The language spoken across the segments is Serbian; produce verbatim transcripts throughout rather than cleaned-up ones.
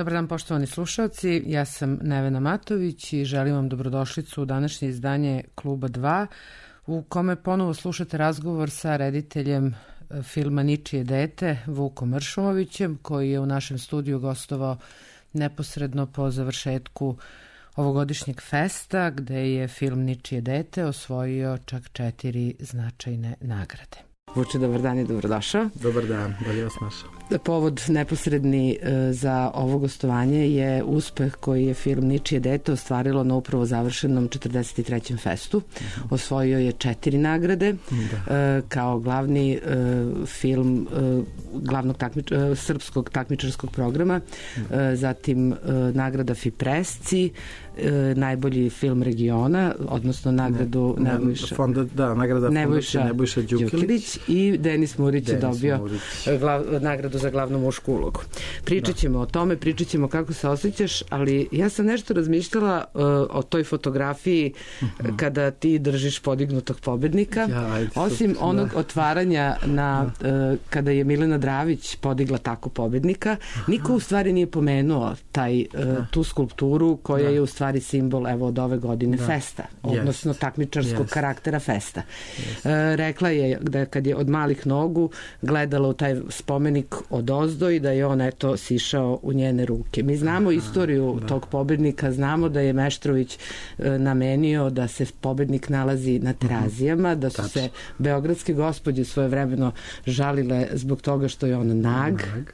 Dobar dan, poštovani slušalci, ja sam Nevena Matović i želim vam dobrodošlicu u današnje izdanje Kluba dva, u kome ponovo slušate razgovor sa rediteljem filma Ničije dete, Vukom Mršumovićem, koji je u našem studiju gostovao neposredno po završetku ovogodišnjeg festa, gde je film Ničije dete osvojio čak četiri značajne nagrade. Vuče, dobar dan i dobrodošao. Dobar dan, bolje vas našao. Povod neposredni za ovo gostovanje je uspeh koji je film Ničije dete ostvarilo na upravo završenom četrdeset trećem festu. Osvojio je četiri nagrade da. Kao glavni film glavnog takmič, srpskog takmičarskog programa, da. Zatim nagrada Fipresci, najbolji film regiona, odnosno nagradu ne, Nebojša, fonda, da, nagrada Nebojša, Nebojša Đukilić i Denis Murić je dobio Murić. Glav, nagradu za glavnu mušku ulogu. Pričat ćemo da. o tome, pričat ćemo kako se osjećaš, ali ja sam nešto razmišljala uh, o toj fotografiji uh-huh. kada ti držiš podignutog pobednika. Ja, ajde, Osim super, onog da. otvaranja na, uh, kada je Milena Dravić podigla tako pobednika, uh-huh. niko u stvari nije pomenuo taj, uh, da. tu skulpturu koja da. je u stvari simbol evo od ove godine da. festa, odnosno yes. takmičarskog yes. karaktera festa. Yes. Uh, rekla je da kad je od malih nogu gledala u taj spomenik od ozdo i da je on eto sišao u njene ruke. Mi znamo Aha, istoriju da. tog pobednika, znamo da je Meštrović e, namenio da se pobednik nalazi na Terazijama, da su Tač. se beogradske gospođe svojevremeno žalile zbog toga što je on nag, nag.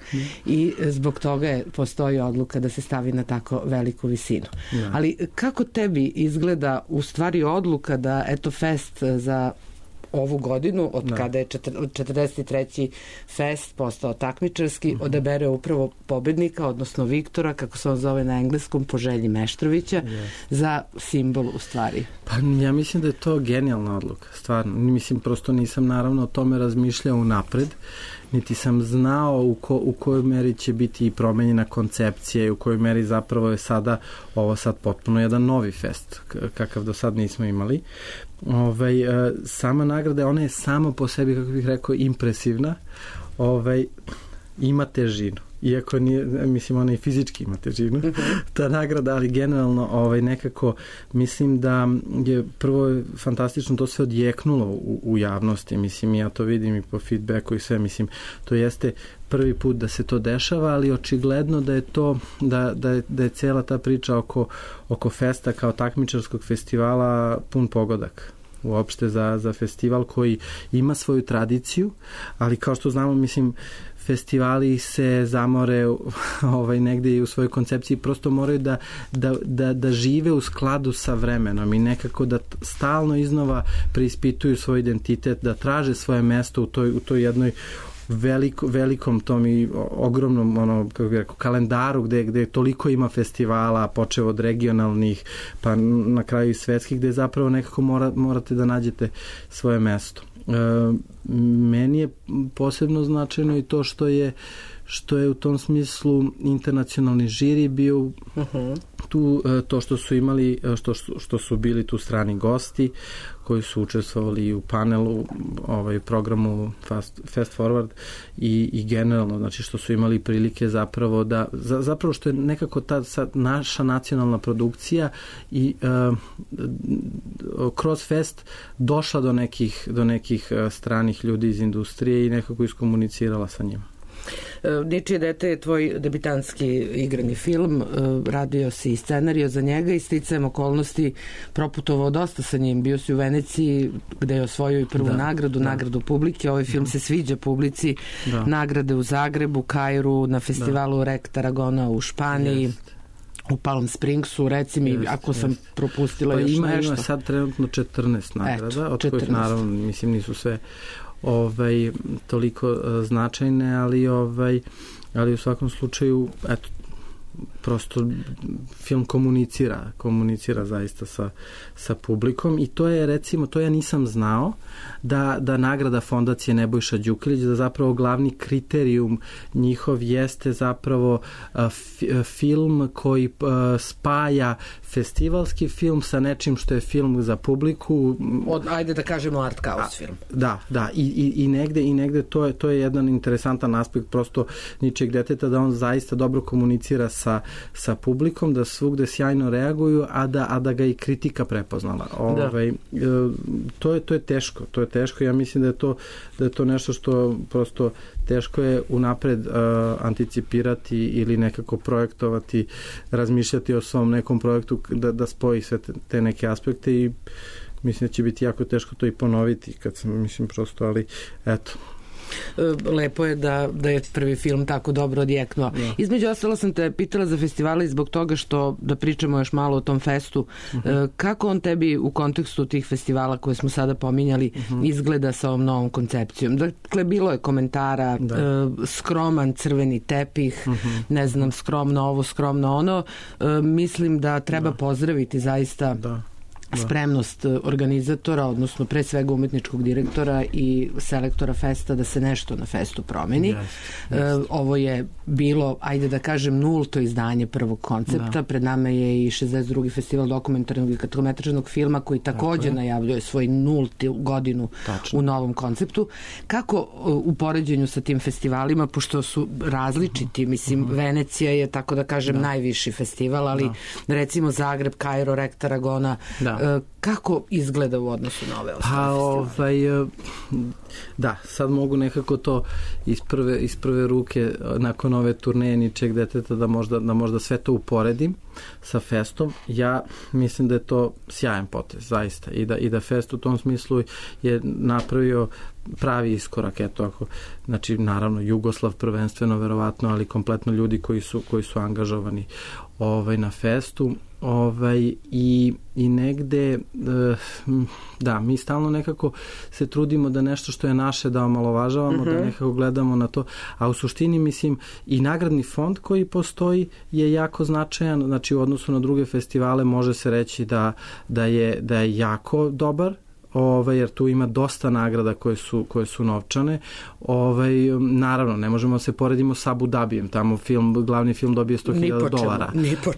i zbog toga je postoji odluka da se stavi na tako veliku visinu. Ja. Ali kako tebi izgleda u stvari odluka da eto fest za ovu godinu, od da. kada je četrdeset treći fest postao takmičarski, uh-huh. odabere upravo pobednika, odnosno Viktora, kako se on zove na engleskom, po želji Meštrovića, yes. za simbol u stvari? Pa ja mislim da je to genijalna odluka, stvarno. Mislim, prosto nisam naravno o tome razmišljao unapred, niti sam znao u, ko, u kojoj meri će biti i promenjena koncepcija i u kojoj meri zapravo je sada ovo sad potpuno jedan novi fest, kakav do sad nismo imali. Ovaj, sama nagrada, ona je samo po sebi, kako bih rekao, impresivna, ovaj, ima težinu. Iako nije, mislim, ona i fizički ima težinu, ta nagrada, ali generalno ovaj, nekako mislim da je prvo fantastično to sve odjeknulo u, u javnosti, mislim, ja to vidim i po feedbacku i sve, mislim, to jeste prvi put da se to dešava, ali očigledno da je to, da, da, je, da je cela ta priča oko, oko festa kao takmičarskog festivala pun pogodak uopšte za, za festival koji ima svoju tradiciju, ali kao što znamo, mislim, festivali se zamore ovaj, negde i u svojoj koncepciji, prosto moraju da, da, da, da žive u skladu sa vremenom i nekako da stalno iznova preispituju svoj identitet, da traže svoje mesto u toj, u toj jednoj veliko, velikom tom i ogromnom ono, kako bih rekao, kalendaru gde, gde toliko ima festivala, počev od regionalnih pa na kraju i svetskih, gde zapravo nekako mora, morate da nađete svoje mesto. E, meni je posebno značajno i to što je što je u tom smislu internacionalni žiri bio uh-huh. tu, to što su imali, što, što su bili tu strani gosti koji su učestvovali u panelu, ovaj programu Fast, Fast Forward i, i generalno, znači što su imali prilike zapravo da, za, zapravo što je nekako ta sad naša nacionalna produkcija i uh, kroz fest došla do nekih, do nekih stranih ljudi iz industrije i nekako iskomunicirala sa njima. Ničije dete je tvoj debitanski igrani film, radio si i scenario za njega i sticajem okolnosti proputovao dosta sa njim, bio si u Veneciji gde je osvojio i prvu da, nagradu, da. nagradu publike, ovaj film da. se sviđa publici, da. nagrade u Zagrebu, Kairu, na festivalu da. Rek Tarragona u Španiji, Jest. u Palm Springsu, reci mi, jest, ako sam jest. propustila pa još ima, nešto. Ima sad trenutno četrnaest nagrada, Eto, od četrnaest. Kojih naravno, mislim, nisu sve ovaj, toliko uh, značajne, ali ovaj, ali u svakom slučaju, eto, prosto film komunicira, komunicira zaista sa, sa publikom i to je recimo, to ja nisam znao da, da nagrada fondacije Nebojša Đukilić, da zapravo glavni kriterijum njihov jeste zapravo f, film koji spaja festivalski film sa nečim što je film za publiku. Od, ajde da kažemo art house film. Da, da, i, i, i negde, i negde to je, to je jedan interesantan aspekt prosto ničeg deteta, da on zaista dobro komunicira sa, sa publikom, da svugde sjajno reaguju, a da, a da ga i kritika prepoznala. Da. Ovaj, to, je, to je teško, to je teško, ja mislim da je to, da je to nešto što prosto teško je unapred uh, anticipirati ili nekako projektovati, razmišljati o svom nekom projektu da, da spoji sve te, te neke aspekte i mislim da će biti jako teško to i ponoviti kad sam, mislim prosto, ali eto. Lepo je da, da je prvi film tako dobro odjeknuo. Da. Između ostalo sam te pitala za festivale zbog toga što, da pričamo još malo o tom festu, uh-huh. kako on tebi u kontekstu tih festivala koje smo sada pominjali uh-huh. izgleda sa ovom novom koncepcijom? Dakle, bilo je komentara, da. skroman crveni tepih, uh-huh. ne znam, skromno ovo, skromno ono. Mislim da treba da. pozdraviti zaista da. Da. spremnost organizatora, odnosno pre svega umetničkog direktora i selektora festa da se nešto na festu promeni. Yes, yes. E, ovo je bilo, ajde da kažem, nulto izdanje prvog koncepta. Da. Pred nama je i šezdeset drugi festival dokumentarnog i kratkometražnog filma koji takođe najavljuje svoj nultu godinu Tačno. u novom konceptu. Kako u poređenju sa tim festivalima, pošto su različiti, mislim, uh-huh. Venecija je, tako da kažem, da. najviši festival, ali da. recimo Zagreb, Kairo, Rekt, Aragona, da. kako izgleda u odnosu na ove ostale pa, ovaj, da, sad mogu nekako to iz prve, iz prve ruke nakon ove turneje ničeg deteta da možda, da možda sve to uporedim sa festom. Ja mislim da je to sjajan potez, zaista, i da, i da fest u tom smislu je napravio pravi iskorak, eto ako, znači naravno Jugoslav prvenstveno verovatno, ali kompletno ljudi koji su, koji su angažovani ovaj, na festu. Ovaj, i, i negde da, mi stalno nekako se trudimo da nešto što je naše da omalovažavamo, uh-huh. da nekako gledamo na to, a u suštini mislim i nagradni fond koji postoji je jako značajan, znači u odnosu na druge festivale može se reći da, da, je, da je jako dobar, Ovaj, jer tu ima dosta nagrada koje su, koje su novčane. Ovaj, naravno, ne možemo se poredimo sa Abu Dhabijem, tamo film, glavni film dobije sto hiljada dolara.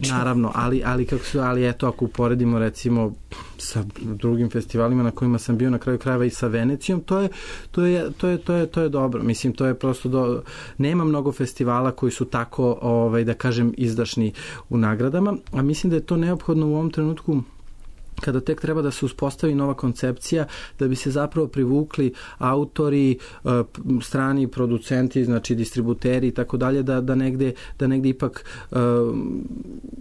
Naravno, ali, ali, kako su, ali eto, ako uporedimo recimo sa drugim festivalima na kojima sam bio na kraju krajeva i sa Venecijom, to je, to je, to je, to je, to je dobro. Mislim, to je prosto do... nema mnogo festivala koji su tako, ovaj, da kažem, izdašni u nagradama, a mislim da je to neophodno u ovom trenutku kada tek treba da se uspostavi nova koncepcija, da bi se zapravo privukli autori, strani producenti, znači distributeri i tako dalje, da, da, negde, da negde ipak uh,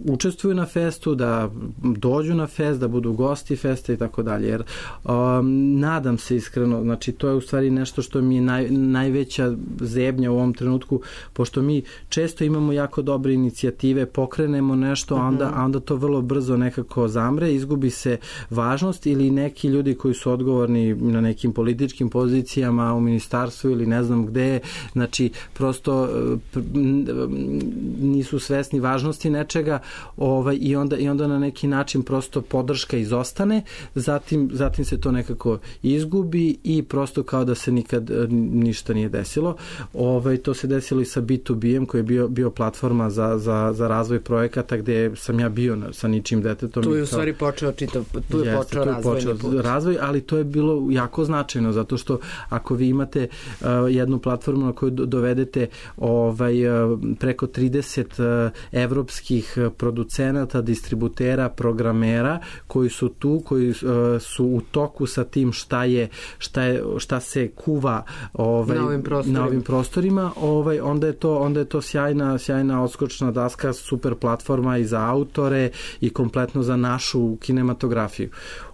učestvuju na festu, da dođu na fest, da budu gosti festa i tako dalje. Jer um, nadam se iskreno, znači to je u stvari nešto što mi je naj, najveća zebnja u ovom trenutku, pošto mi često imamo jako dobre inicijative, pokrenemo nešto, a onda, a onda to vrlo brzo nekako zamre, izgubi se važnost ili neki ljudi koji su odgovorni na nekim političkim pozicijama u ministarstvu ili ne znam gde, znači prosto nisu svesni važnosti nečega, ovaj, i onda i onda na neki način prosto podrška izostane, zatim zatim se to nekako izgubi i prosto kao da se nikad ništa nije desilo. Ovaj, to se desilo i sa B to B-em koji je bio bio platforma za za za razvoj projekata gde sam ja bio na, sa ničim detetom. Tu je u stvari počeo čitav tu je Jeste, počeo razvojni put. Razvoj, ali to je bilo jako značajno, zato što ako vi imate uh, jednu platformu na koju dovedete ovaj, uh, preko trideset uh, evropskih producenata, distributera, programera, koji su tu, koji uh, su u toku sa tim šta je, šta je, šta se kuva ovaj, na ovim prostorima, na ovim prostorima ovaj, onda je to, onda je to sjajna, sjajna odskočna daska, super platforma i za autore i kompletno za našu kinematografiju.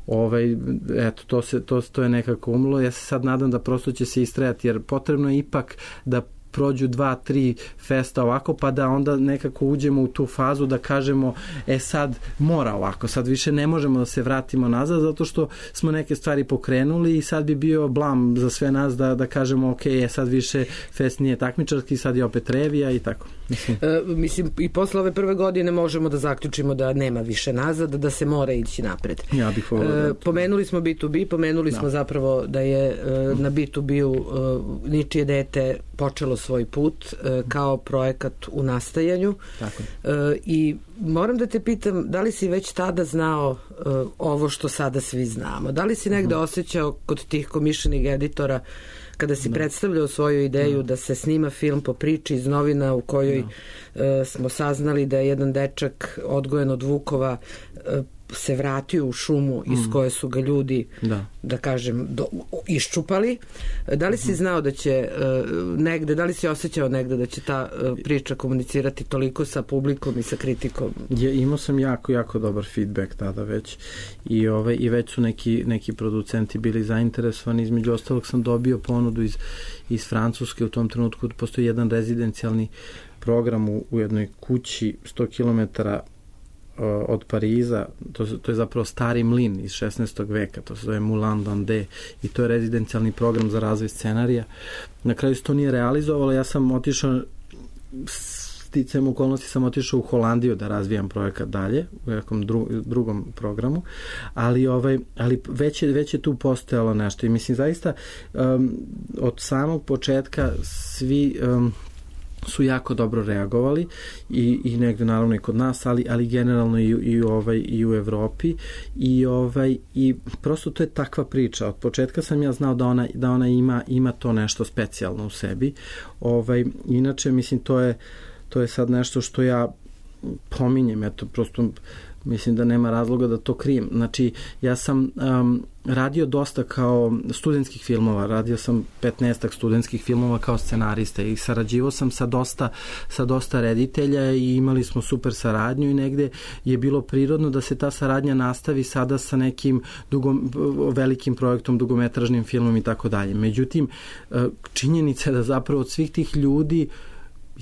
Ovaj, eto, to, se, to, to je nekako umlo. Ja se sad nadam da prosto će se istrajati, jer potrebno je ipak da prođu dva, tri festa ovako, pa da onda nekako uđemo u tu fazu da kažemo, e sad mora ovako, sad više ne možemo da se vratimo nazad, zato što smo neke stvari pokrenuli i sad bi bio blam za sve nas da, da kažemo, ok, e sad više fest nije takmičarski, sad je opet revija i tako. Mislim. E, mislim, i posle ove prve godine možemo da zaključimo da nema više nazad, da se mora ići napred. Ja bih volio da... E, pomenuli smo B to B, pomenuli da. smo zapravo da je e, na B to B-u e, Ničije dete počelo svoj put e, kao projekat u nastajanju. Tako. E, I moram da te pitam, da li si već tada znao e, ovo što sada svi znamo? Da li si negde uh-huh. osjećao kod tih komišljenih editora kada si da. predstavljao svoju ideju da. da se snima film po priči iz novina u kojoj da. uh, smo saznali da je jedan dečak odgojen od vukova uh, se vratio u šumu mm. iz koje su ga ljudi, da, da kažem, do, iščupali. Da li si znao da će uh, negde, da li si osjećao negde da će ta uh, priča komunicirati toliko sa publikom i sa kritikom? Ja, imao sam jako, jako dobar feedback tada već i, ove, i već su neki, neki producenti bili zainteresovani. Između ostalog sam dobio ponudu iz, iz Francuske u tom trenutku. Postoji jedan rezidencijalni program u, u jednoj kući sto kilometara od Pariza, to, to je zapravo stari mlin iz šesnaestog veka, to se zove Moulin d'Andé i to je rezidencijalni program za razvoj scenarija. Na kraju se to nije realizovalo, ja sam otišao, sticajem okolnosti sam otišao u Holandiju da razvijam projekat dalje, u nekom dru, drugom programu, ali, ovaj, ali već, je, već je tu postojalo nešto i mislim zaista um, od samog početka svi um, su jako dobro reagovali i, i negde naravno i kod nas, ali, ali generalno i, i, ovaj, i u Evropi i, ovaj, i prosto to je takva priča. Od početka sam ja znao da ona, da ona ima, ima to nešto specijalno u sebi. Ovaj, inače, mislim, to je, to je sad nešto što ja pominjem, eto, prosto mislim da nema razloga da to krijem. Znači, ja sam um, radio dosta kao studentskih filmova, radio sam petnaestak studentskih filmova kao scenarista i sarađivao sam sa dosta, sa dosta reditelja i imali smo super saradnju i negde je bilo prirodno da se ta saradnja nastavi sada sa nekim dugom, velikim projektom, dugometražnim filmom i tako dalje. Međutim, činjenica je da zapravo od svih tih ljudi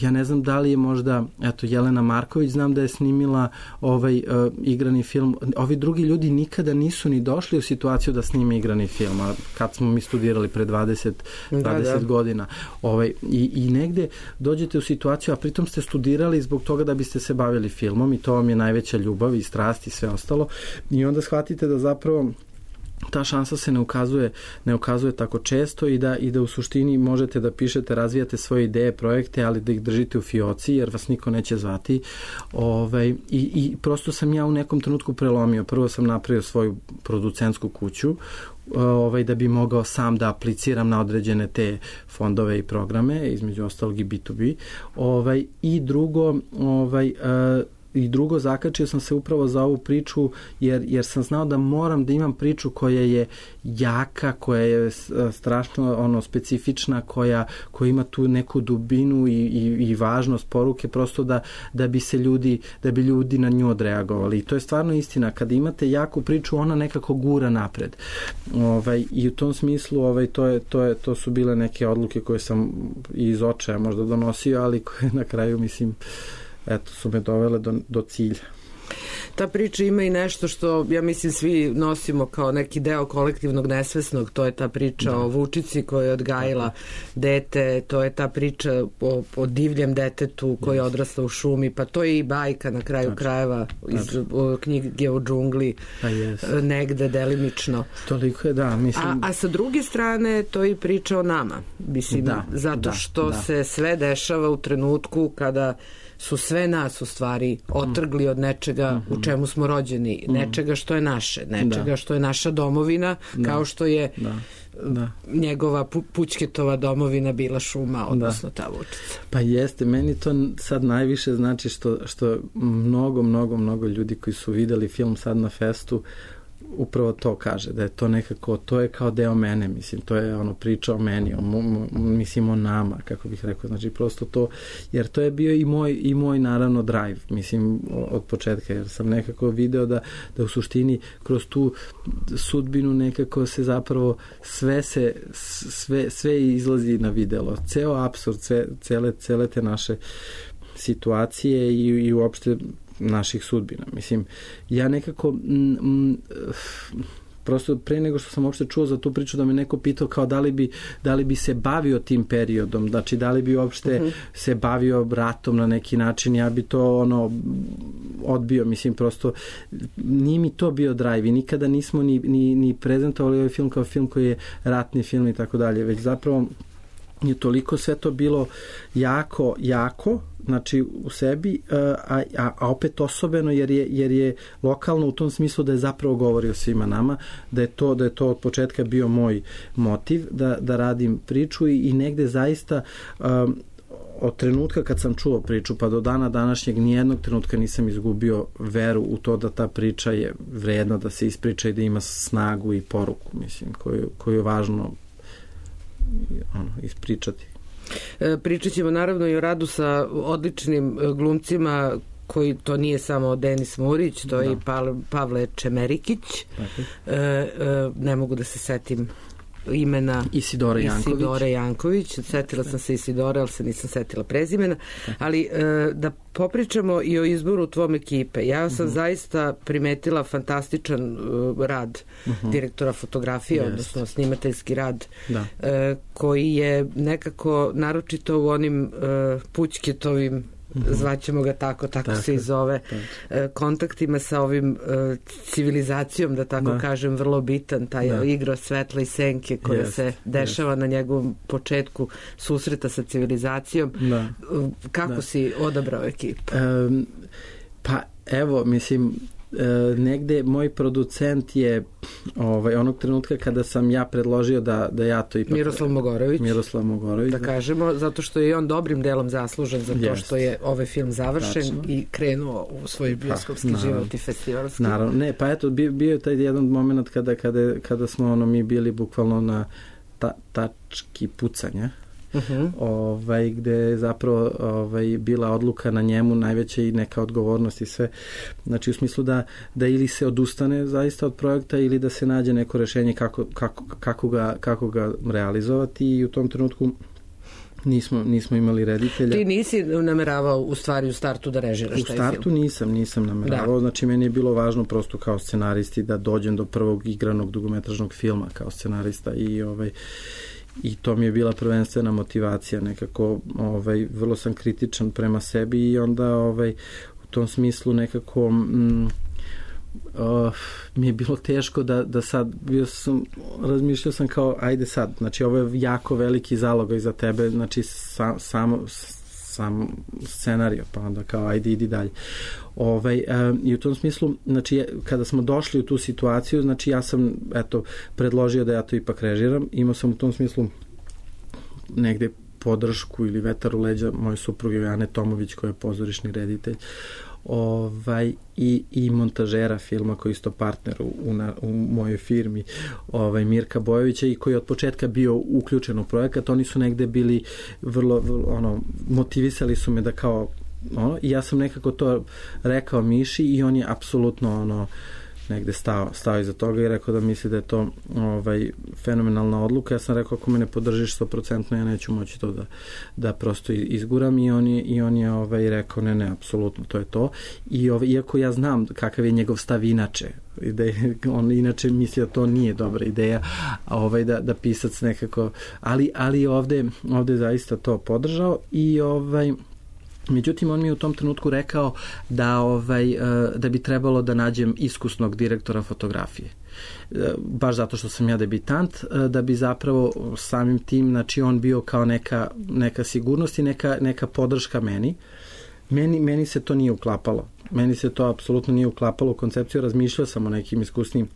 ja ne znam da li je možda, eto, Jelena Marković, znam da je snimila ovaj uh, igrani film. Ovi drugi ljudi nikada nisu ni došli u situaciju da snime igrani film, a kad smo mi studirali pre dvadeset, dvadeset da, da. godina. Ovaj, i, I negde dođete u situaciju, a pritom ste studirali zbog toga da biste se bavili filmom i to vam je najveća ljubav i strast i sve ostalo. I onda shvatite da zapravo ta šansa se ne ukazuje, ne ukazuje tako često i da, i da u suštini možete da pišete, razvijate svoje ideje, projekte, ali da ih držite u fioci jer vas niko neće zvati. Ovaj, i, i prosto sam ja u nekom trenutku prelomio. Prvo sam napravio svoju producentsku kuću ovaj, da bi mogao sam da apliciram na određene te fondove i programe, između ostalog i B to B. Ovaj, I drugo, ovaj, uh, I drugo, zakačio sam se upravo za ovu priču jer, jer sam znao da moram da imam priču koja je jaka, koja je strašno ono, specifična, koja, koja ima tu neku dubinu i, i, i važnost poruke, prosto da, da bi se ljudi, da bi ljudi na nju odreagovali. I to je stvarno istina. Kada imate jaku priču, ona nekako gura napred. Ovaj, I u tom smislu ovaj, to, je, to, je, to su bile neke odluke koje sam iz očaja možda donosio, ali koje na kraju, mislim, eto, su me dovele do, do cilja. Ta priča ima i nešto što, ja mislim, svi nosimo kao neki deo kolektivnog nesvesnog, to je ta priča da. o Vučici koja je odgajila dete, to je ta priča o, o divljem detetu koja je odrasla u šumi, pa to je i bajka na kraju znači, krajeva iz znači. knjige o džungli, yes. negde delimično. Toliko je, da, mislim... A, a sa druge strane, to je i priča o nama, mislim, da, zato da, što da. se sve dešava u trenutku kada su sve nas u stvari otrgli od nečega mm-hmm. u čemu smo rođeni, mm-hmm. nečega što je naše, nečega da. što je naša domovina, da. kao što je da. Da. njegova pu- Pućketova domovina bila šuma, odnosno da. ta Vučica. Pa jeste, meni to sad najviše znači što, što mnogo, mnogo, mnogo ljudi koji su videli film sad na festu upravo to kaže, da je to nekako, to je kao deo mene, mislim, to je ono priča o meni, o, mislim o nama, kako bih rekao, znači prosto to, jer to je bio i moj, i moj naravno drive, mislim, od početka, jer sam nekako video da, da u suštini kroz tu sudbinu nekako se zapravo sve se, sve, sve izlazi na videlo, ceo apsurd, sve, cele, cele te naše situacije i, i uopšte naših sudbina. Mislim, ja nekako m, m, prosto pre nego što sam uopšte čuo za tu priču da me neko pitao kao da li bi, da li bi se bavio tim periodom, znači da li bi uopšte uh-huh. se bavio ratom na neki način, ja bi to ono odbio, mislim prosto nije mi to bio drive i nikada nismo ni, ni, ni prezentovali ovaj film kao film koji je ratni film i tako dalje, već zapravo je toliko sve to bilo jako, jako, znači u sebi, a, a, a opet osobeno jer je, jer je lokalno u tom smislu da je zapravo govorio svima nama, da je to, da je to od početka bio moj motiv da, da radim priču i, i negde zaista um, od trenutka kad sam čuo priču pa do dana današnjeg nijednog trenutka nisam izgubio veru u to da ta priča je vredna da se ispriča i da ima snagu i poruku, mislim, koju, koju je važno ono, ispričati. E, pričat ćemo naravno i o radu sa odličnim glumcima koji to nije samo Denis Murić, to je da. i Pavle Čemerikić. E, e, ne mogu da se setim imena Isidora Janković. Isidora Janković. Setila sam se Isidora, ali se nisam setila prezimena. Ali e, da popričamo i o izboru tvom ekipe. Ja sam uh-huh. zaista primetila fantastičan uh, rad uh-huh. direktora fotografije, yes. odnosno snimateljski rad da. e, koji je nekako naročito u onim uh, Pućketovim zvaćemo ga tako, tako, tako se i zove, tako. kontaktima sa ovim civilizacijom, da tako da. kažem, vrlo bitan, taj da. igra svetla i senke koja jest, se dešava jest. na njegovom početku susreta sa civilizacijom. Da. Kako da. si odabrao ekipu? Um, pa evo, mislim, E, negde moj producent je ovaj, onog trenutka kada sam ja predložio da, da ja to ipak... Miroslav Mogorović. Miroslav Mogorović. Da, da kažemo, zato što je on dobrim delom zaslužen za to yes. što je ovaj film završen Tačno. i krenuo u svoj bioskopski pa, život i festivalski. Naravno, ne, pa eto, bio, bio je taj jedan moment kada, kada, kada smo ono, mi bili bukvalno na ta, tački pucanja. Uh-huh. Ovaj, gde je zapravo ovaj, bila odluka na njemu najveća i neka odgovornost i sve. Znači u smislu da, da ili se odustane zaista od projekta ili da se nađe neko rešenje kako, kako, kako, ga, kako ga realizovati i u tom trenutku nismo, nismo imali reditelja. Ti nisi nameravao u stvari u startu da režiraš taj film? U startu nisam, nisam nameravao. Da. Znači meni je bilo važno prosto kao scenaristi da dođem do prvog igranog dugometražnog filma kao scenarista i ovaj i to mi je bila prvenstvena motivacija nekako, ovaj, vrlo sam kritičan prema sebi i onda ovaj, u tom smislu nekako mm, uh, mi je bilo teško da, da sad bio sam, razmišljao sam kao ajde sad, znači ovo je jako veliki zalogaj za tebe, znači sam, samo sam scenario, pa onda kao ajde idi dalje. Ovaj, um, i u tom smislu, znači kada smo došli u tu situaciju, znači ja sam eto predložio da ja to ipak režiram, imao sam u tom smislu negde podršku ili vetar u leđa moje supruge Ane Tomović koja je pozorišni reditelj ovaj, i, i montažera filma koji je isto partner u, u, na, u mojoj firmi ovaj, Mirka Bojovića i koji je od početka bio uključen u projekat. Oni su negde bili vrlo, vrlo ono, motivisali su me da kao ono, i ja sam nekako to rekao Miši i on je apsolutno ono negde stao, stao iza toga i rekao da misli da je to ovaj, fenomenalna odluka. Ja sam rekao ako me ne podržiš sto posto ja neću moći to da, da prosto izguram i on je, i on je ovaj, rekao ne, ne, apsolutno to je to. I ovaj, iako ja znam kakav je njegov stav inače, da je, on inače misli da to nije dobra ideja ovaj, da, da pisac nekako, ali, ali ovde, ovde zaista to podržao i ovaj međutim, on mi je u tom trenutku rekao da, ovaj, da bi trebalo da nađem iskusnog direktora fotografije. Baš zato što sam ja debitant, da bi zapravo samim tim, znači on bio kao neka, neka sigurnost i neka, neka podrška meni. Meni, meni se to nije uklapalo. Meni se to apsolutno nije uklapalo u koncepciju. Razmišljao sam o nekim iskusnim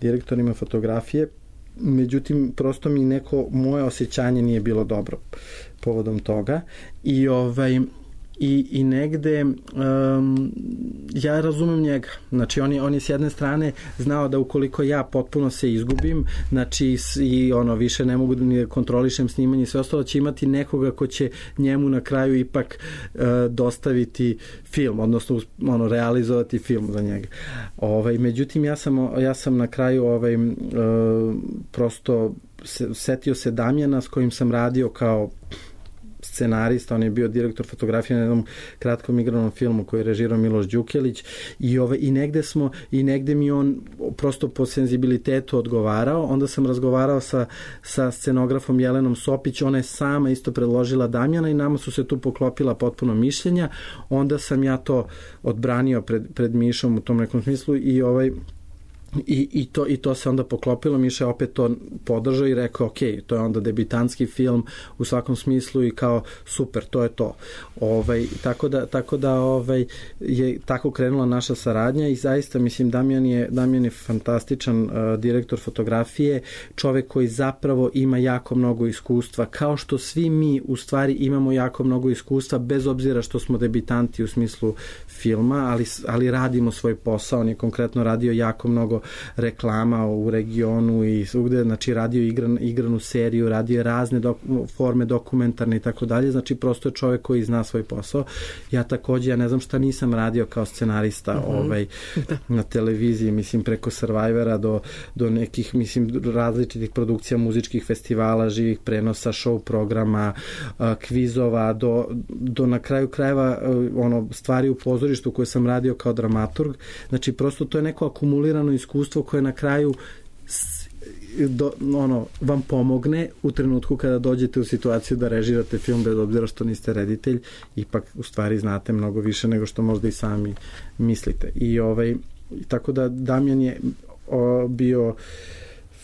direktorima fotografije, međutim, prosto mi neko, moje osjećanje nije bilo dobro povodom toga i ovaj i, i negde um, ja razumem njega. Znači on je, on je s jedne strane znao da ukoliko ja potpuno se izgubim, znači i ono više ne mogu da ni kontrolišem snimanje i sve ostalo, će imati nekoga ko će njemu na kraju ipak uh, dostaviti film, odnosno ono realizovati film za njega. Ovaj međutim ja sam ja sam na kraju ovaj uh, prosto se, setio se Damjana s kojim sam radio kao scenarista, on je bio direktor fotografije na jednom kratkom igranom filmu koji je režirao Miloš Đukelić i, ove, i negde smo i negde mi on prosto po senzibilitetu odgovarao, onda sam razgovarao sa, sa scenografom Jelenom Sopić, ona je sama isto predložila Damjana i nama su se tu poklopila potpuno mišljenja, onda sam ja to odbranio pred, pred Mišom u tom nekom smislu i ovaj I, i, to, i to se onda poklopilo, Miša opet to podržao i rekao ok, to je onda debitanski film u svakom smislu i kao super, to je to. Ovaj, tako da, tako da ovaj, je tako krenula naša saradnja i zaista mislim Damjan je, Damjan je fantastičan uh, direktor fotografije, čovek koji zapravo ima jako mnogo iskustva, kao što svi mi u stvari imamo jako mnogo iskustva bez obzira što smo debitanti u smislu filma, ali, ali radimo svoj posao, on je konkretno radio jako mnogo reklama u regionu i svugde, znači radio igran, igranu seriju, radio razne dok, forme dokumentarne i tako dalje, znači prosto je čovek koji zna svoj posao. Ja takođe, ja ne znam šta nisam radio kao scenarista mm-hmm. ovaj, na televiziji, mislim preko Survivora do, do nekih, mislim, različitih produkcija muzičkih festivala, živih prenosa, show programa, kvizova, do, do na kraju krajeva ono, stvari u pozorištu koje sam radio kao dramaturg, znači prosto to je neko akumulirano iskustvo koje na kraju do, ono, vam pomogne u trenutku kada dođete u situaciju da režirate film bez obzira što niste reditelj, ipak u stvari znate mnogo više nego što možda i sami mislite. I ovaj, tako da Damjan je o, bio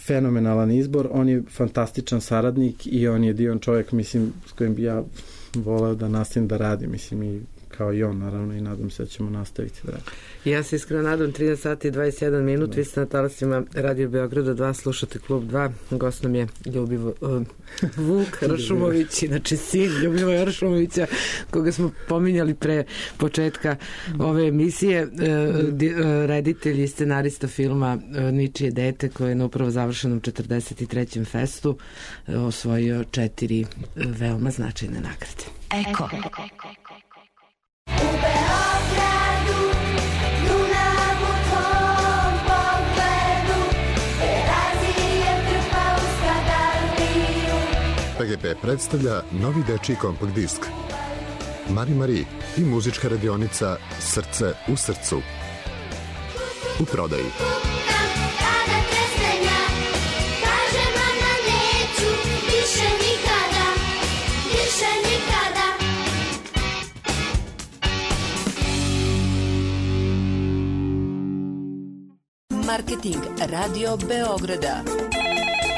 fenomenalan izbor, on je fantastičan saradnik i on je divan čovjek, mislim, s kojim bi ja voleo da nastavim da radim, mislim, i kao i on, naravno, i nadam se da ćemo nastaviti da radimo. Ja se iskreno nadam, trinaest sati i dvadeset jedan minut, da. Vi ste na talasima Radio Beograda dva, slušate Klub dva, gost nam je Ljubivo, uh, Vuk Ršumović, inače sin Ljubivoja Ršumovića, koga smo pominjali pre početka ove emisije, uh, di, uh, reditelj i scenarista filma uh, Ničije dete, koji je na upravo završenom četrdeset trećem festu uh, osvojio četiri uh, veoma značajne nagrade. Eko. U Beogradu, Dunav u tvom pogledu, Terazije trpa u Skadardiju. P G P predstavlja novi dečiji kompakt disk Mari Mari i muzička radionica Srce u srcu. U prodaji. Marketing Radio Beograda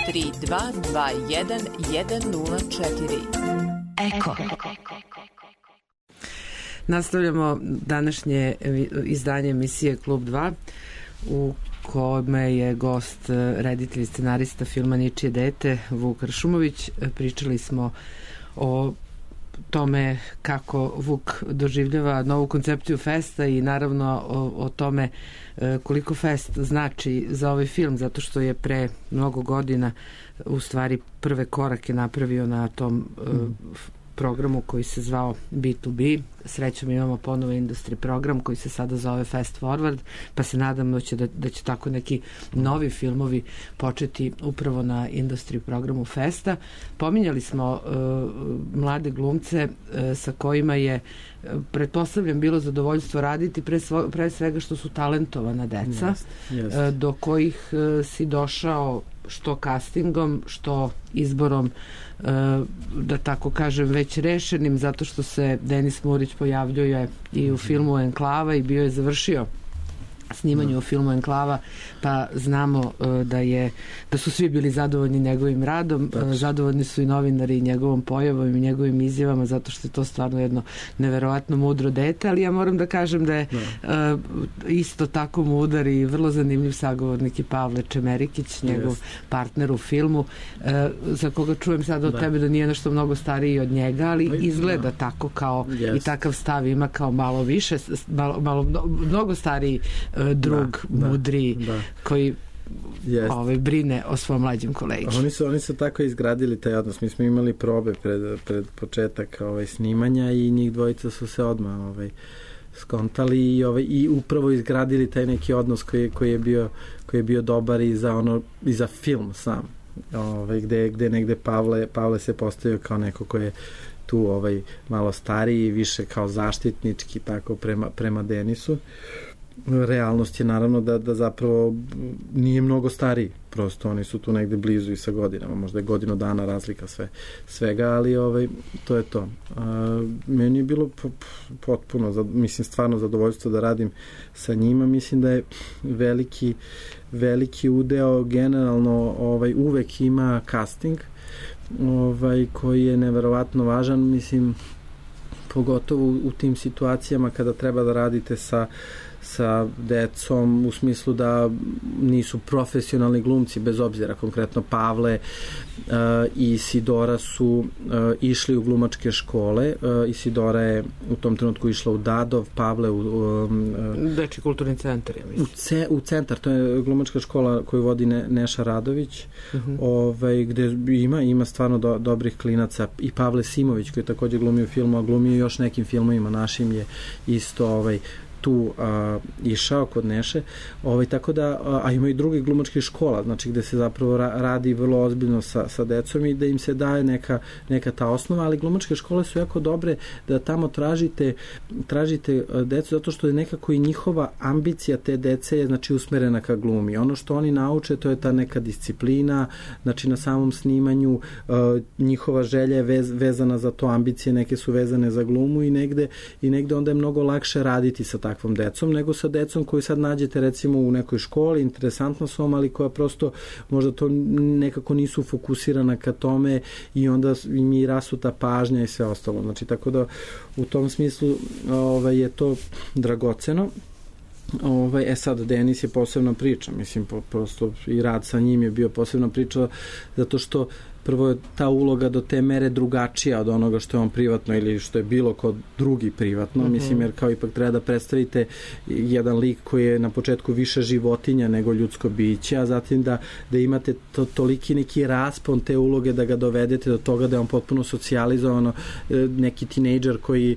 tri dva dva jedan jedan nula četiri. Eko. Nastavljamo današnje izdanje emisije Klub dva u kome je gost reditelj i scenarista filma Ničije dete Vuk Ršumović. Pričali smo o tome kako Vuk doživljava novu koncepciju festa i naravno o, o tome koliko fest znači za ovaj film, zato što je pre mnogo godina u stvari prve korake napravio na tom mm. programu koji se zvao B to B. Srećom imamo ponovo industry program koji se sada zove Fast Forward, pa se nadam da će, da, da će tako neki novi filmovi početi upravo na industry programu Festa. Pominjali smo uh, mlade glumce uh, sa kojima je uh, pretpostavljam bilo zadovoljstvo raditi pre, svo, pre svega što su talentovana deca, yes, yes. Uh, do kojih uh, si došao što castingom, što izborom uh, da tako kažem već rešenim, zato što se Denis Murić pojavljuje i u filmu Enklava i bio je završio snimanju o filmu Enklava, pa znamo uh, da je da su svi bili zadovoljni njegovim radom, uh, zadovoljni su i novinari njegovom pojavom i njegovim izjavama, zato što je to stvarno jedno neverovatno mudro dete, ali ja moram da kažem da je uh, isto tako mudar i vrlo zanimljiv sagovornik i Pavle Čemerikić, njegov yes. partner u filmu, uh, za koga čujem sada od da. tebe da nije nešto mnogo stariji od njega, ali no, izgleda da. tako kao yes. i takav stav ima kao malo više, malo, malo mnogo stariji uh, drug, da, mudri, da. koji yes. ovaj, brine o svom mlađem kolegi. Oni su, oni su tako izgradili taj odnos. Mi smo imali probe pred, pred početak ovaj, snimanja i njih dvojica su se odmah ovaj, skontali i, ovaj, i upravo izgradili taj neki odnos koji, koji, je, bio, koji je bio dobar i za, ono, i za film sam. Ovaj, gde, gde negde Pavle, Pavle se postavio kao neko ko je tu ovaj, malo stariji, više kao zaštitnički tako prema, prema Denisu. Realnost je naravno da, da zapravo nije mnogo stariji, prosto oni su tu negde blizu i sa godinama, možda je godinu dana razlika sve, svega, ali ovaj, to je to. A, meni je bilo potpuno, mislim stvarno zadovoljstvo da radim sa njima, mislim da je veliki, veliki udeo generalno ovaj, uvek ima casting, ovaj, koji je neverovatno važan, mislim pogotovo u, u tim situacijama kada treba da radite sa sa decom u smislu da nisu profesionalni glumci, bez obzira, konkretno Pavle uh, i Isidora su uh, išli u glumačke škole. Uh, Isidora je u tom trenutku išla u Dadov, Pavle u um, uh, Deči kulturni centar, ja mislim. U, ce, u centar, to je glumačka škola koju vodi ne, Neša Radović, uh-huh. ovaj, gde ima, ima stvarno do, dobrih klinaca, i Pavle Simović koji je takođe glumio u filmu, a glumio još nekim filmovima našim, je isto ovaj tu a, išao kod Neše, ovaj, tako da, a, a ima i drugih glumačkih škola, znači gde se zapravo ra, radi vrlo ozbiljno sa, sa decom i da im se daje neka, neka ta osnova, ali glumačke škole su jako dobre da tamo tražite, tražite decu, zato što je nekako i njihova ambicija te dece je znači usmerena ka glumi. Ono što oni nauče, to je ta neka disciplina, znači na samom snimanju a, njihova želja je vez, vezana za to, ambicije neke su vezane za glumu i negde, i negde onda je mnogo lakše raditi sa takvom decom, nego sa decom koju sad nađete recimo u nekoj školi, interesantno su vam, ali koja prosto možda to nekako nisu fokusirana ka tome i onda im i rasuta pažnja i sve ostalo. Znači, tako da u tom smislu ovaj, je to dragoceno. Ovaj, e sad, Denis je posebna priča, mislim, prosto i rad sa njim je bio posebna priča, zato što prvo je ta uloga do te mere drugačija od onoga što je on privatno ili što je bilo kod drugi privatno, mm-hmm. mislim, jer kao ipak treba da predstavite jedan lik koji je na početku više životinja nego ljudsko biće, a zatim da, da imate to, toliki neki raspon te uloge da ga dovedete do toga da je on potpuno socijalizovano, neki tinejdžer koji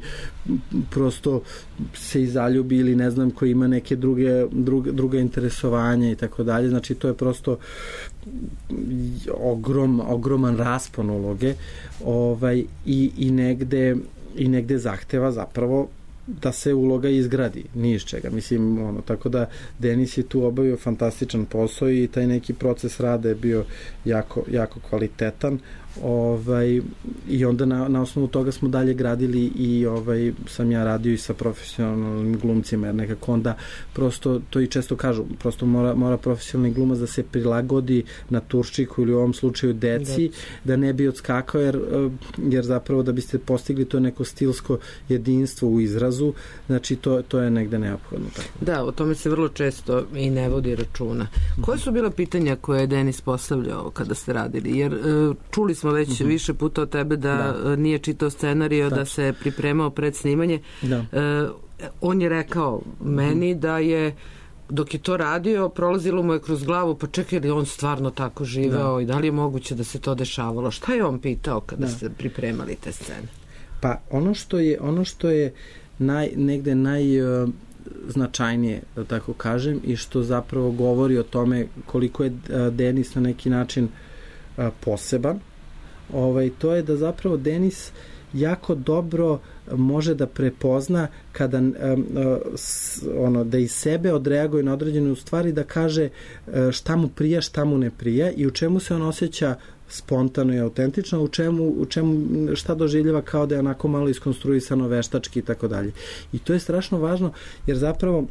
prosto se i zaljubi ili ne znam, koji ima neke druge, druge, druge interesovanja i tako dalje, znači to je prosto ogrom, ogroman raspon uloge, ovaj, i, i, negde, i negde zahteva zapravo da se uloga izgradi, ni iz čega. Mislim, ono, tako da Denis je tu obavio fantastičan posao i taj neki proces rada je bio jako, jako kvalitetan. Ovaj, i onda na, na osnovu toga smo dalje gradili i ovaj, sam ja radio i sa profesionalnim glumcima, jer nekako onda prosto, to i često kažu, prosto mora, mora profesionalni glumac da se prilagodi na turščiku ili u ovom slučaju deci, da ne bi odskakao, jer, jer zapravo da biste postigli to neko stilsko jedinstvo u izrazu, znači to, to je negde neophodno. Tako. Da, o tome se vrlo često i ne vodi računa. Koje su bila pitanja koje je Denis postavljao kada ste radili? Jer čuli smo već uh-huh. više puta od tebe da, da. nije čitao scenario, da se pripremao pred snimanje. Da. E, on je rekao meni uh-huh. da je dok je to radio, prolazilo mu je kroz glavu, pa čekaj li on stvarno tako živeo da. i da li je moguće da se to dešavalo? Šta je on pitao kada da. ste pripremali te scene? Pa ono što je, ono što je naj, negde naj... Uh, značajnije, da tako kažem, i što zapravo govori o tome koliko je Denis na neki način poseban, ovaj, to je da zapravo Denis jako dobro može da prepozna kada um, ono, da iz sebe odreaguje na određene stvari, da kaže šta mu prija, šta mu ne prija i u čemu se on osjeća spontano i autentično, u čemu, u čemu šta doživljava kao da je onako malo iskonstruisano veštački i tako dalje. I to je strašno važno, jer zapravo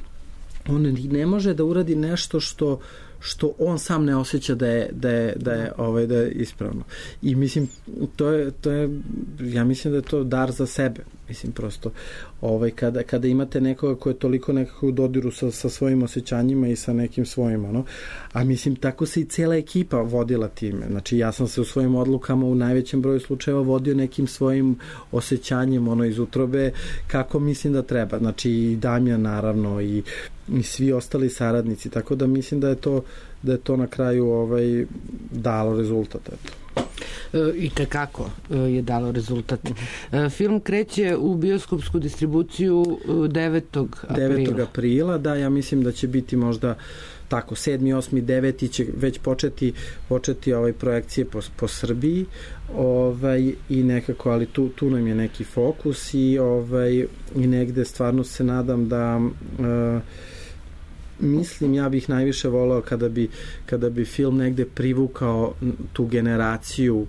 on ne može da uradi nešto što što on sam ne osjeća da je da je da je ovaj da je ispravno. I mislim to je to je ja mislim da je to dar za sebe. Mislim prosto ovaj kada kada imate nekoga ko je toliko nekako u dodiru sa sa svojim osjećanjima i sa nekim svojim ono. A mislim tako se i cela ekipa vodila time. Znači ja sam se u svojim odlukama u najvećem broju slučajeva vodio nekim svojim osjećanjem ono iz utrobe kako mislim da treba. Znači i Damjan naravno i i svi ostali saradnici, tako da mislim da je to da je to na kraju ovaj dalo rezultat, eto. I tekako je dalo rezultat. Film kreće u bioskopsku distribuciju devetog aprila. devetog aprila, da, ja mislim da će biti možda tako, sedmi, osmi, deveti će već početi, početi ovaj projekcije po, po Srbiji ovaj, i nekako, ali tu, tu nam je neki fokus i, ovaj, i negde stvarno se nadam da uh, mislim, ja bih najviše voleo kada bi, kada bi film negde privukao tu generaciju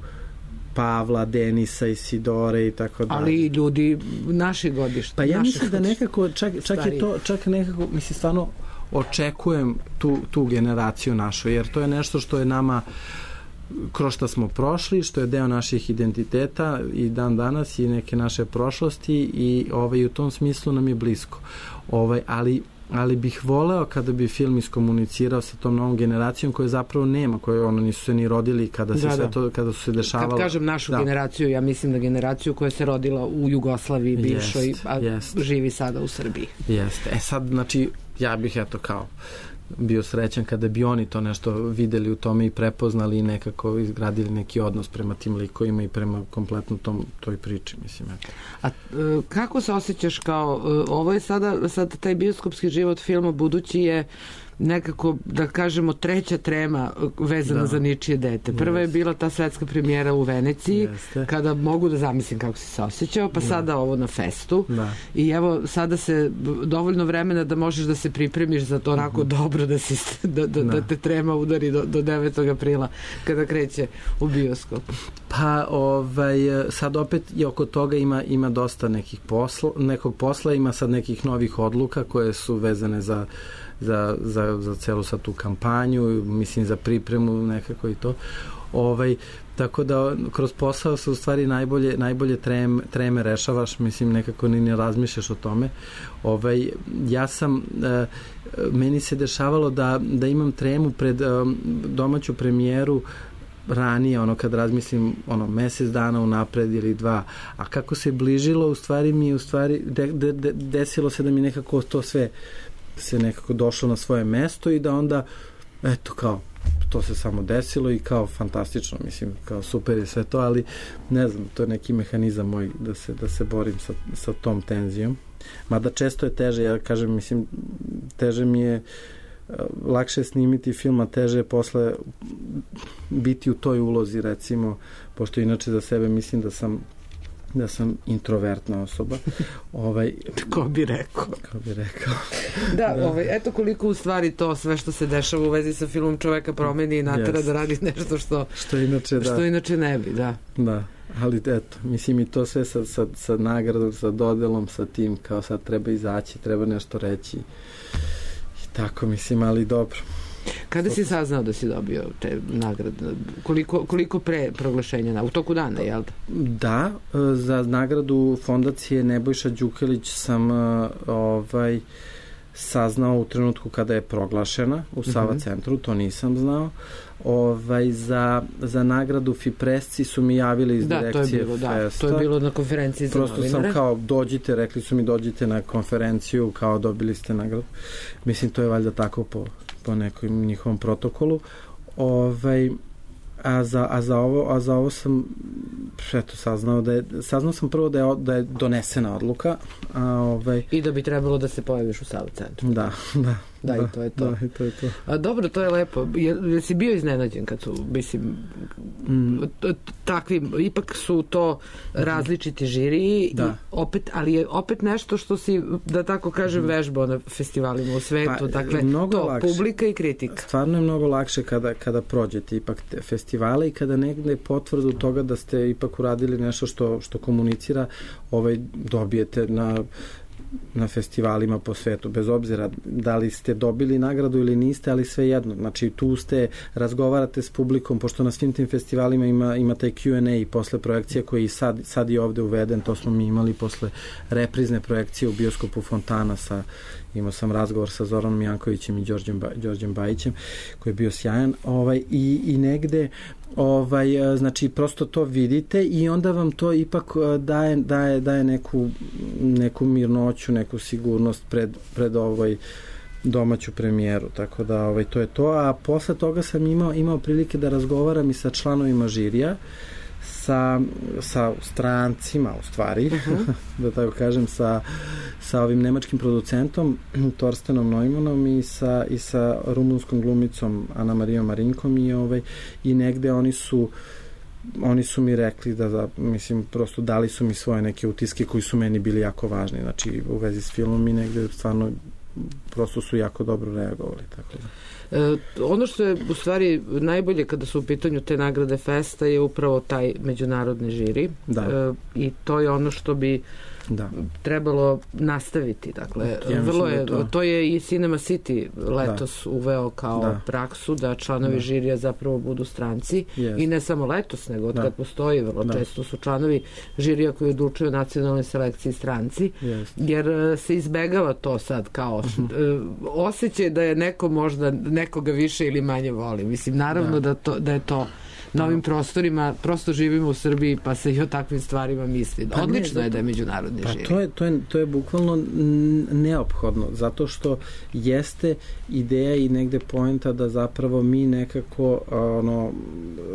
Pavla, Denisa, Isidore i tako dalje. Ali i ljudi naših godišta. Pa ja mislim da nekako, čak, čak je to, čak nekako, mislim, stvarno očekujem tu, tu generaciju našu, jer to je nešto što je nama kroz što smo prošli, što je deo naših identiteta i dan danas i neke naše prošlosti i ovaj, u tom smislu nam je blisko. Ovaj, ali ali bih voleo kada bi film iskomunicirao sa tom novom generacijom koje zapravo nema, koje ono nisu se ni rodili kada se da, sve to, kada su se dešavalo. Kad kažem našu da. generaciju, ja mislim da generaciju koja se rodila u Jugoslaviji bivšoj, jest, a jest. živi sada u Srbiji. Jeste. E sad, znači, ja bih eto kao bio srećan kada bi oni to nešto videli u tome i prepoznali i nekako izgradili neki odnos prema tim likovima i prema kompletno tom, toj priči, mislim. Eto. A kako se osjećaš kao, ovo je sada, sad taj bioskopski život filma budući je nekako, da kažemo, treća trema vezana da. za ničije dete. Prva je bila ta svetska premijera u Veneciji, Jeste. kada mogu da zamislim kako si se osjećao, pa da. sada ovo na festu. Da. I evo, sada se dovoljno vremena da možeš da se pripremiš za to onako uh-huh. dobro da, si, da, da, da. da te trema udari do, do devetog aprila kada kreće u bioskop. Pa, ovaj, sad opet i oko toga ima, ima dosta nekih posla, nekog posla, ima sad nekih novih odluka koje su vezane za za, za, za celu sad tu kampanju, mislim za pripremu nekako i to. Ovaj, tako da kroz posao se u stvari najbolje, najbolje trem, treme rešavaš, mislim nekako ni ne razmišljaš o tome. Ovaj, ja sam, e, meni se dešavalo da, da imam tremu pred e, domaću premijeru ranije, ono kad razmislim ono mesec dana unapred ili dva, a kako se bližilo u stvari mi u stvari de, de, de, desilo se da mi nekako to sve se nekako došlo na svoje mesto i da onda eto kao to se samo desilo i kao fantastično, mislim, kao super je sve to, ali ne znam, to je neki mehanizam moj da se, da se borim sa, sa tom tenzijom. Mada često je teže, ja kažem, mislim, teže mi je lakše snimiti film, a teže je posle biti u toj ulozi, recimo, pošto inače za sebe mislim da sam da sam introvertna osoba. Ovaj, ko bi rekao. Ko bi rekao. Da, da. Ovaj, eto koliko u stvari to sve što se dešava u vezi sa filmom čoveka promeni i natera yes. da radi nešto što, što, inače, što da. inače ne bi, da. Da, ali eto, mislim i to sve sa, sa, sa nagradom, sa dodelom, sa tim, kao sad treba izaći, treba nešto reći. I tako, mislim, ali dobro. Kada si saznao da si dobio te nagrade? Koliko, koliko pre proglašenja? U toku dana, jel da? Da, za nagradu fondacije Nebojša Đukelić sam ovaj, saznao u trenutku kada je proglašena u Sava uh-huh. centru, to nisam znao. Ovaj, za, za nagradu Fipresci su mi javili iz da, direkcije to je bilo, Festa. Da, to je bilo na konferenciji za Prosto novinare. sam kao, dođite, rekli su mi dođite na konferenciju, kao dobili ste nagradu. Mislim, to je valjda tako po po nekom njihovom protokolu. Ovaj, a, za, a, za ovo, a za ovo sam eto, saznao da je, saznao sam prvo da je, da je donesena odluka. A, ovaj, I da bi trebalo da se pojaviš u Sava centru. Da, da. Da, da, i to je to. Da, i to je to. A, dobro, to je lepo. Je, si bio iznenađen kad su, mislim, mm. takvi, ipak su to različiti žiriji, da. I opet, ali je opet nešto što si, da tako kažem, mm. vežbao na festivalima u svetu. Pa, dakle, to, lakše. Publika i kritika. Stvarno je mnogo lakše kada, kada prođete ipak te festivale i kada negde potvrdu toga da ste ipak uradili nešto što, što komunicira, ovaj, dobijete na na festivalima po svetu, bez obzira da li ste dobili nagradu ili niste, ali sve jedno. Znači, tu ste, razgovarate s publikom, pošto na svim tim festivalima ima, ima taj Q and A i posle projekcije koji i sad, sad je ovde uveden, to smo mi imali posle reprizne projekcije u bioskopu Fontana sa, imao sam razgovor sa Zoranom Jankovićem i Đorđem, ba, Đorđem Bajićem, koji je bio sjajan, ovaj, i, i negde ovaj, znači prosto to vidite i onda vam to ipak daje, daje, daje neku, neku mirnoću, neku sigurnost pred, pred ovoj domaću premijeru, tako da ovaj, to je to, a posle toga sam imao, imao prilike da razgovaram i sa članovima žirija, sa, sa strancima u stvari, uh-huh. da tako kažem, sa, sa ovim nemačkim producentom Torstenom Neumannom i sa, i sa rumunskom glumicom Ana Marijom Marinkom i, ovaj, i negde oni su oni su mi rekli da, da, mislim, prosto dali su mi svoje neke utiske koji su meni bili jako važni, znači u vezi s filmom i negde stvarno prosto su jako dobro reagovali, tako da. E, ono što je u stvari najbolje kada su u pitanju te nagrade festa je upravo taj međunarodni žiri, da. E, i to je ono što bi da. trebalo nastaviti, dakle ja vrlo je, to... to je i Cinema City letos da. uveo kao da. praksu da članovi da. žirija zapravo budu stranci yes. i ne samo letos, nego od da. kad postoji vrlo da. često su članovi žirija koji odlučuju o nacionalnoj selekciji stranci, yes. jer se izbegava to sad kao uh-huh. osjećaj da je neko možda nekoga više ili manje voli. Mislim, naravno da, da, to, da je to na ovim prostorima, prosto živimo u Srbiji pa se i o takvim stvarima misli. Pa odlično ne, je da je međunarodni pa žiri. To je, to, je, to je bukvalno neophodno, zato što jeste ideja i negde poenta da zapravo mi nekako ono,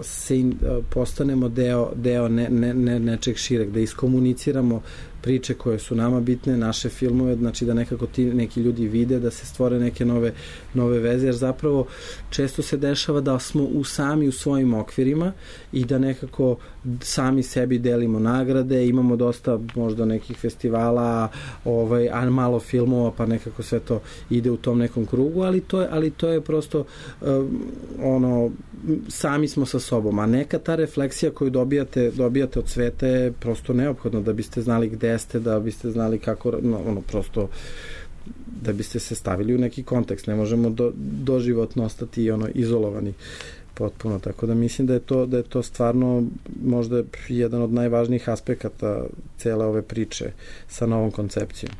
se in, postanemo deo, deo ne, ne, ne, nečeg šireg, da iskomuniciramo priče koje su nama bitne, naše filmove, znači da nekako ti neki ljudi vide, da se stvore neke nove, nove veze, jer zapravo često se dešava da smo u sami u svojim okvirima i da nekako sami sebi delimo nagrade, imamo dosta možda nekih festivala, ovaj, a malo filmova, pa nekako sve to ide u tom nekom krugu, ali to je, ali to je prosto um, ono, sami smo sa sobom, a neka ta refleksija koju dobijate, dobijate od sveta je prosto neophodno da biste znali gde ste, da biste znali kako, no, ono, prosto da biste se stavili u neki kontekst. Ne možemo do, doživotno ostati ono, izolovani potpuno, tako da mislim da je to, da je to stvarno možda jedan od najvažnijih aspekata cele ove priče sa novom koncepcijom.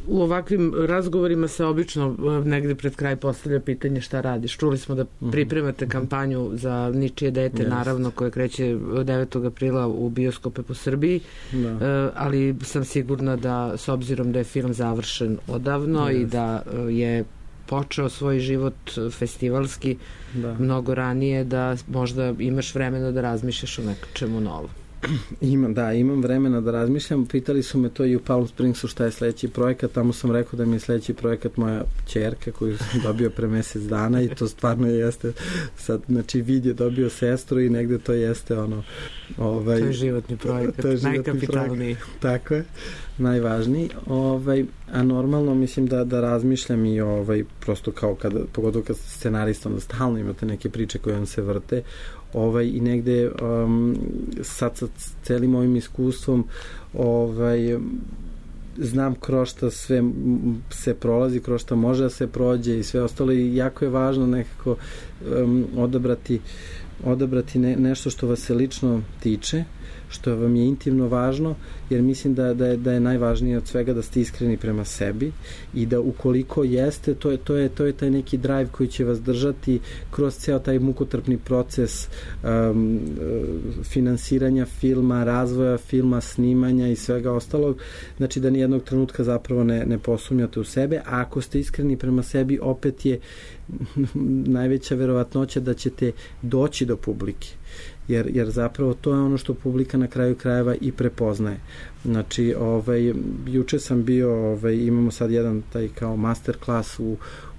U ovakvim razgovorima se obično negde pred kraj postavlja pitanje šta radiš. Čuli smo da pripremate kampanju za Ničije dete, yes. naravno, koje kreće devetog aprila u bioskope po Srbiji, da. ali sam sigurna da, s obzirom da je film završen odavno yes. i da je počeo svoj život festivalski da. mnogo ranije, da možda imaš vremena da razmišljaš o nečemu novom. Imam, da, imam vremena da razmišljam. Pitali su me to i u Palm Springsu šta je sledeći projekat, tamo sam rekao da mi je sledeći projekat moja ćerka koju sam dobio pre mesec dana i to stvarno jeste sad, znači vid je dobio sestru i negde to jeste ono ovaj, to je životni projekat, je najkapitalniji. Tako je, najvažniji. Ovaj, a normalno mislim da, da razmišljam i ovaj, prosto kao kada, pogotovo kad scenarista, onda stalno imate neke priče koje vam se vrte, ovaj, i negde um, sad sa celim ovim iskustvom ovaj, znam kroz šta sve se prolazi, kroz šta može da se prođe i sve ostalo i jako je važno nekako um, odabrati odabrati ne, nešto što vas se lično tiče, što vam je intimno važno, jer mislim da, da, je, da je najvažnije od svega da ste iskreni prema sebi i da ukoliko jeste, to je, to je, to je taj neki drive koji će vas držati kroz ceo taj mukotrpni proces um, finansiranja filma, razvoja filma, snimanja i svega ostalog, znači da nijednog trenutka zapravo ne, ne posumnjate u sebe, a ako ste iskreni prema sebi, opet je najveća verovatnoća da ćete doći do publike. Jer, jer zapravo to je ono što publika na kraju krajeva i prepoznaje. Znači, ovaj, juče sam bio, ovaj, imamo sad jedan taj kao master klas u,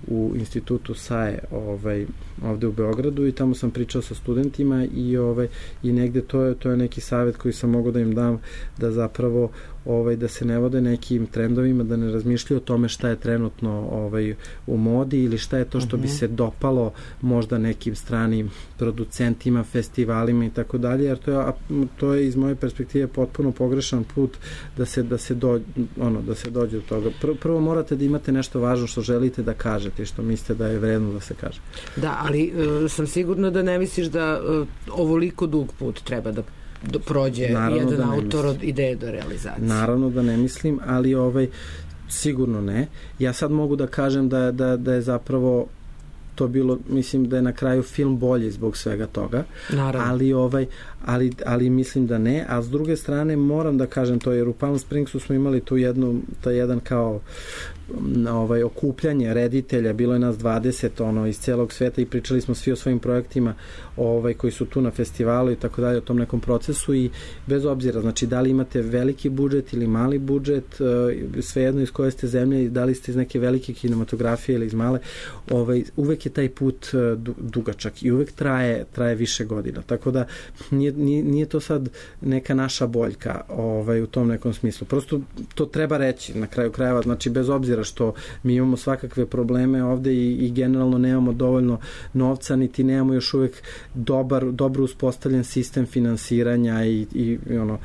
u institutu S A E ovaj, ovde u Beogradu i tamo sam pričao sa studentima i, ovaj, i negde to je, to je neki savjet koji sam mogao da im dam, da zapravo ovaj, da se ne vode nekim trendovima, da ne razmišljaju o tome šta je trenutno ovaj, u modi ili šta je to što bi se dopalo možda nekim stranim producentima, festivalima i tako dalje, jer to je, to je iz moje perspektive potpuno pogrešan put da se, da se, do, ono, da se dođe do toga. Prvo, prvo morate da imate nešto važno što želite da kažete i što mislite da je vredno da se kaže. Da, ali uh, sam sigurna da ne misliš da uh, ovoliko dug put treba da do, prođe naravno jedan da autor od ideje do realizacije. Naravno da ne mislim, ali ovaj, sigurno ne. Ja sad mogu da kažem da, da, da je zapravo to bilo, mislim da je na kraju film bolji zbog svega toga. Naravno. Ali, ovaj, ali, ali mislim da ne, a s druge strane moram da kažem to, jer u Palm Springsu smo imali tu jednu, taj jedan kao ovaj, okupljanje reditelja, bilo je nas dvadeset ono, iz celog sveta i pričali smo svi o svojim projektima ovaj, koji su tu na festivalu i tako dalje, o tom nekom procesu i bez obzira, znači da li imate veliki budžet ili mali budžet, svejedno iz koje ste zemlje, da li ste iz neke velike kinematografije ili iz male, ovaj, uvek je taj put dugačak i uvek traje, traje više godina, tako da nije, nije, nije to sad neka naša boljka ovaj, u tom nekom smislu, prosto to treba reći na kraju krajeva, znači bez obzira što mi imamo svakakve probleme ovde i, i generalno nemamo dovoljno novca, niti nemamo još uvek dobar, dobro uspostavljen sistem finansiranja i, i, i ono,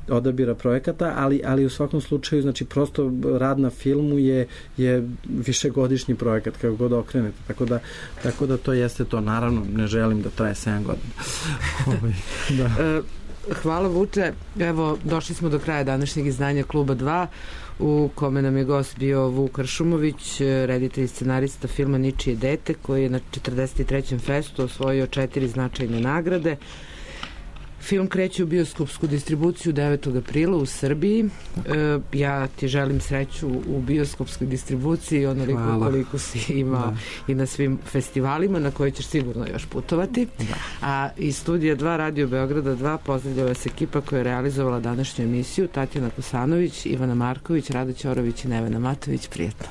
odabira projekata, ali, ali u svakom slučaju, znači prosto rad na filmu je, je višegodišnji projekat, kako god okrenete, tako da, tako da to jeste to. Naravno, ne želim da traje sedam godina. Da. Hvala Vuče. Evo, došli smo do kraja današnjeg izdanja Kluba dva, u kome nam je gost bio Vuk Kršumović, reditelj i scenarista filma Ničije dete, koji je na četrdeset trećem festu osvojio četiri značajne nagrade. Film kreće u bioskopsku distribuciju devetog aprila u Srbiji. E, ja ti želim sreću u bioskopskoj distribuciji, onoliko koliko si imao da. I na svim festivalima na koje ćeš sigurno još putovati. Da. A iz studija dva Radio Beograda dva pozdravlja vas ekipa koja je realizovala današnju emisiju: Tatjana Kosanović, Ivana Marković, Rado Ćorović i Nevena Matović. Prijetno.